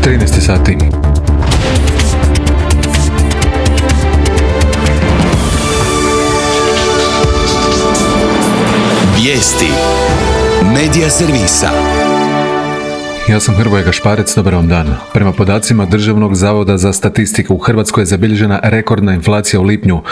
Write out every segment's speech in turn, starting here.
13 sati. Vijesti Medija servisa. Ja sam Hrvoje Gašparec, dobar vam dan. Prema podacima Državnog zavoda za statistiku, u Hrvatskoj je zabilježena rekordna inflacija u lipnju.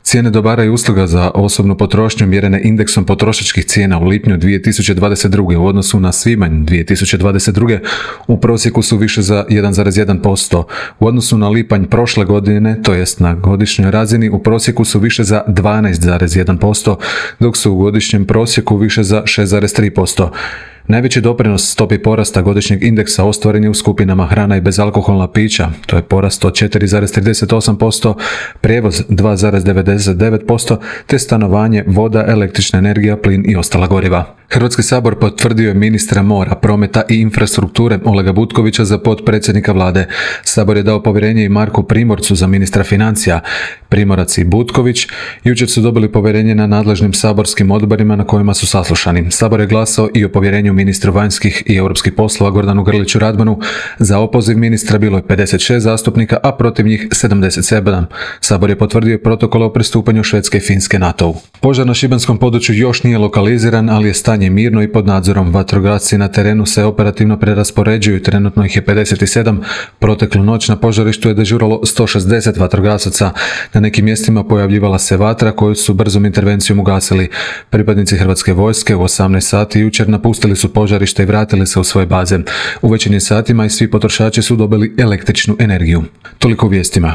Cijene dobara i usluga za osobnu potrošnju mjerene indeksom potrošačkih cijena u lipnju 2022. u odnosu na svibanj 2022. u prosjeku su više za 1,1%. U odnosu na lipanj prošle godine, to jest na godišnjoj razini, u prosjeku su više za 12,1%, dok su u godišnjem prosjeku više za 6,3%. Najveći doprinos stopi porasta godišnjeg indeksa ostvaren je u skupinama hrana i bezalkoholna pića, to je porast od 4,38%, prijevoz 2,99%, te stanovanje, voda, električna energija, plin i ostala goriva. Hrvatski sabor potvrdio je ministra mora, prometa i infrastrukture Olega Butkovića za potpredsjednika vlade. Sabor je dao povjerenje i Marku Primorcu za ministra financija. Primorac i Butković jučer su dobili povjerenje na nadležnim saborskim odborima na kojima su saslušani. Sabor je glasao i o povjerenju ministru vanjskih i europskih poslova Gordanu Grliću Radmanu. Za opoziv ministra bilo je 56 zastupnika, a protiv njih 77. Sabor je potvrdio protokol o pristupanju Švedske i Finske NATO-u. Požar na šibenskom području još nije lokaliziran, ali je stanje mirno i pod nadzorom. Vatrogasci na terenu se operativno preraspoređuju, trenutno ih je 57. Proteklu noć na požarištu je dežuralo 160 vatrogasaca. Na nekim mjestima pojavljivala se vatra koju su brzom intervencijom ugasili. Pripadnici Hrvatske vojske u 18 sati jučer napustili su požarište i vratili se u svoje baze. U večernjim satima i svi potrošači su dobili električnu energiju. Toliko u vijestima.